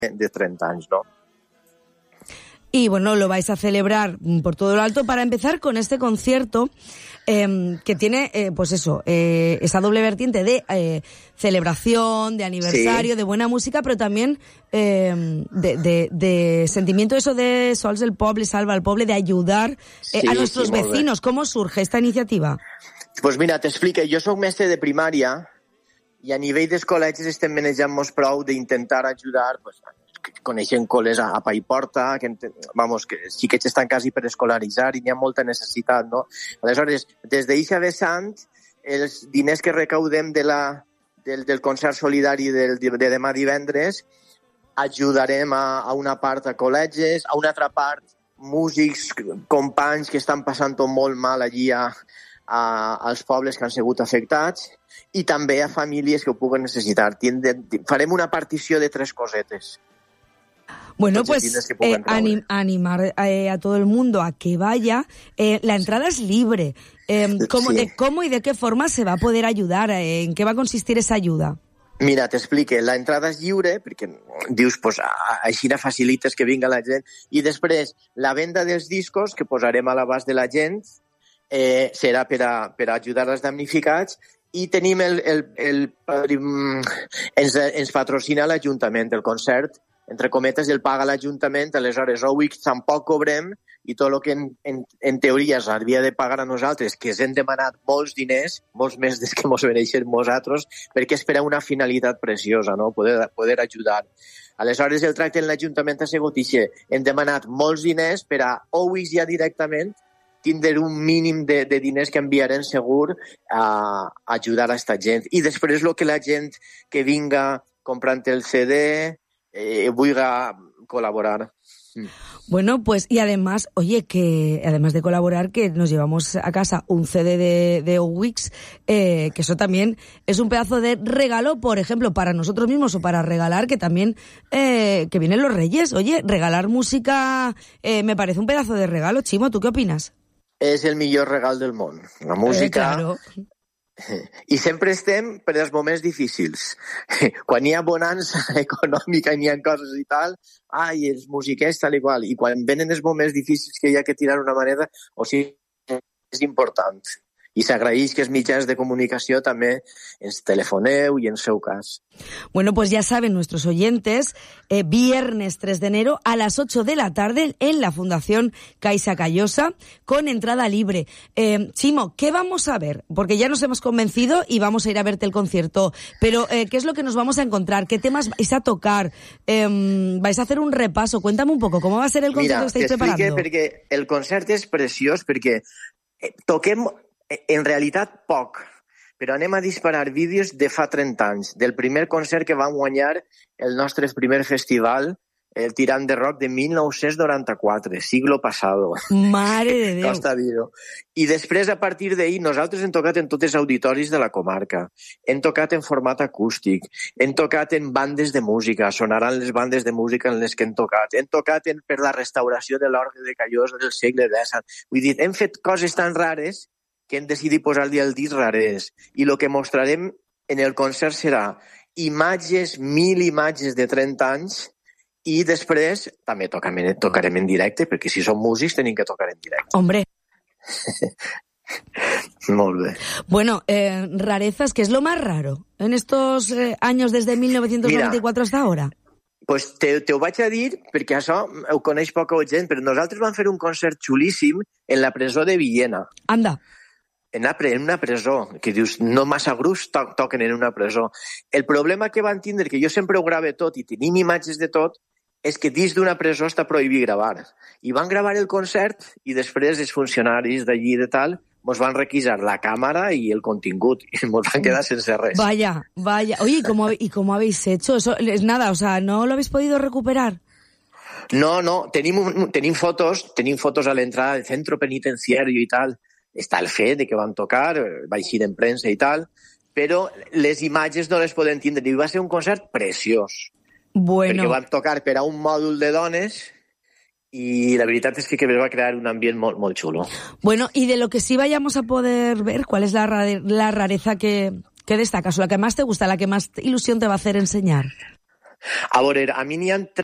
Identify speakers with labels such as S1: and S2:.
S1: de 30 anys, no?
S2: Y bueno, lo vais a celebrar por todo lo alto. Para empezar con este concierto que tiene, pues eso, esa doble vertiente de celebración, de aniversario, de buena música, pero también de sentimiento eso de Sols del Poble, Salva al Poble, de ayudar a nuestros vecinos. ¿Cómo surge esta iniciativa?
S1: Pues mira, t'explico. Jo soc mestre de primària i a nivell dels col·legis estem manejant-nos prou d'intentar ajudar, pues, coneixent col·les a Paiporta, que els xiquets estan quasi per escolaritzar i n'hi ha molta necessitat, no? Aleshores, des d'eixa vessant, els diners que recaudem del concert solidari de demà divendres ajudarem a una part a col·legis, a una altra part músics, companys que estan passant-ho molt mal allí als pobles que han sigut afectats i també a famílies que ho puguen necessitar. Farem una partició de 3 cosetes.
S2: Bueno, pues animar a todo el mundo a que vaya. La entrada es libre. ¿Cómo y de qué forma se va a poder ayudar? ¿En qué va a consistir esa ayuda?
S1: Mira, t'explique. La entrada és lliure, perquè dius, pues, així facilites que vinga la gent. I després, la venda dels discos que posarem a l'abast de la gent serà per ajudar els damnificats. I tenim ens patrocina l'Ajuntament, el concert, entre cometes, el paga l'Ajuntament, aleshores Owix tampoc cobrem i tot el que en teoria s'hauria de pagar a nosaltres, que ens hem demanat molts diners, molts més des que ens mereixem nosaltres, perquè és per a una finalitat preciosa, no? Poder ajudar. Aleshores el tracte en l'Ajuntament ha sigut així. Hem demanat molts diners per a Owix ja directament tindre un mínim de diners que enviarem segur a ajudar a esta gent. I després el que la gent que vinga comprant el CD vulga colaborar.
S2: Bueno, pues y además, oye, que además de colaborar, que nos llevamos a casa un CD de Owix, que eso también es un pedazo de regalo, por ejemplo, para nosotros mismos o para regalar, que también, que vienen los Reyes. Oye, regalar música me parece un pedazo de regalo. Chimo, ¿tú qué opinas?
S1: És el millor regal del món. La música...
S2: Claro.
S1: I sempre estem per als moments difícils. Quan hi ha bonança econòmica i n'hi ha coses i tal, els musiquers tal i qual. I quan venen els moments difícils que hi ha que tirar una moneda, o sigui, és important. I s'agraeix que els mitjans de comunicació també ens telefoneu i en seu cas.
S2: Bueno, pues ya saben nuestros oyentes, viernes 3 de enero a las 8 de la tarde en la Fundación Caixa Callosa con entrada libre. Chimo, ¿qué vamos a ver? Porque ya nos hemos convencido y vamos a ir a verte el concierto, pero ¿qué es lo que nos vamos a encontrar? ¿Qué temas vais a tocar? ¿Vais a hacer un repaso? Cuéntame un poco, ¿cómo va a ser el concierto que estáis preparando?
S1: Mira, t'explique, perquè el concert és preciós, perquè toquem en realitat poc, però anem a disparar vídeos de fa 30 anys, del primer concert que vam guanyar el nostre primer festival, el Tirant de Rock de 1994, siglo pasado.
S2: Mare de Déu!
S1: Costa dir-ho. I després, a partir d'ahir, nosaltres hem tocat en tots els auditoris de la comarca, hem tocat en format acústic, hem tocat en bandes de música, sonaran les bandes de música en les que hem tocat per la restauració de l'orgue de Callosa del segle X. Vull dir, hem fet coses tan rares que hem decidit posar-li el disc rares. I el que mostrarem en el concert serà imatges, 1.000 imatges de 30 anys, i després també tocarem en directe, perquè si som músics tenim que tocar en directe.
S2: Hombre.
S1: Molt bé.
S2: Bueno, rarezas, ¿qué es lo más raro en estos años desde 1994 hasta ahora?
S1: Pues te ho vaig a dir perquè això ho coneix poca gent, però nosaltres vam fer un concert xulíssim en la presó de Villena.
S2: Anda.
S1: En una presó, que dius, no massa grups toquen en una presó. El problema que van tindre, que jo sempre ho grave tot i tenim imatges de tot, és que dins d'una presó està prohibit gravar. I van gravar el concert i després els funcionaris d'allí de tal mos van requisar la càmera y el contingut y mos van quedar sense res.
S2: Vaya. Oye, ¿y cómo habéis hecho? Eso es nada, o sea, ¿no lo habéis podido recuperar?
S1: No, tenim fotos a l'entrada del centro penitenciario i tal. Està el fet de que van tocar, va eixir en premsa i tal, però les imatges no les podem tindre. I va ser un concert preciós.
S2: Bueno.
S1: Perquè van tocar per a un mòdul de dones y la verdad es que va a crear un ambiente muy chulo.
S2: Bueno, y de lo que sí vayamos a poder ver, ¿cuál es la rareza que destacas o la que más te gusta, la que más ilusión te va a hacer enseñar?
S1: A veure, a mi n'hi ha